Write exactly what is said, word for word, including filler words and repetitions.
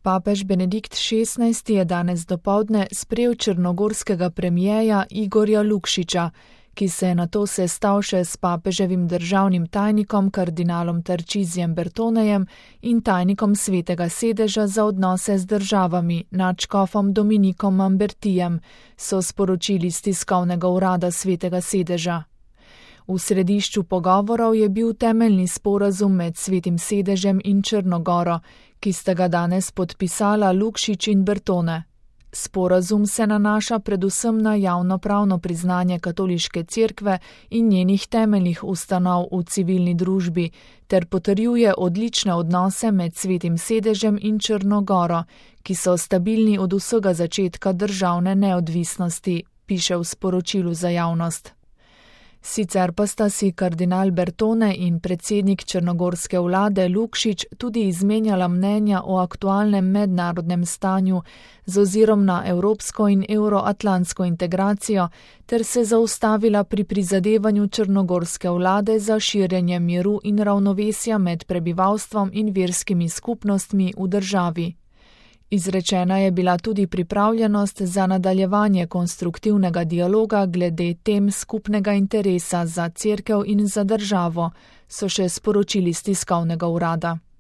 Papež Benedikt šestnajsti je danes dopoldne sprejel črnogorskega premierja Igorja Lukšiča, ki se je nato sestal še s papeževim državnim tajnikom kardinalom Tarcisijem Bertonejem in tajnikom Svetega sedeža za odnose z državami nadškofom Dominikom Mambertijem, so sporočili s tiskovnega urada Svetega sedeža. V središču pogovorov je bil temeljni sporazum med Svetim sedežem in Črnogoro, ki sta ga danes podpisala Lukšič in Bertone. Sporazum se nanaša predvsem na javnopravno priznanje katoliške cerkve in njenih temeljnih ustanov v civilni družbi ter potrjuje odlične odnose med Svetim sedežem in Črnogoro, ki so stabilni od vsega začetka državne neodvisnosti, piše v sporočilu za javnost. Sicer pa sta si kardinal Bertone in predsednik črnogorske vlade Lukšič tudi izmenjala mnenja o aktualnem mednarodnem stanju z ozirom na evropsko in euroatlantsko integracijo ter se zaustavila pri prizadevanju črnogorske vlade za širjenje miru in ravnovesja med prebivalstvom in verskimi skupnostmi v državi. Izrečena je bila tudi pripravljenost za nadaljevanje konstruktivnega dialoga glede tem skupnega interesa za cerkev in za državo, so še sporočili s tiskovnega urada.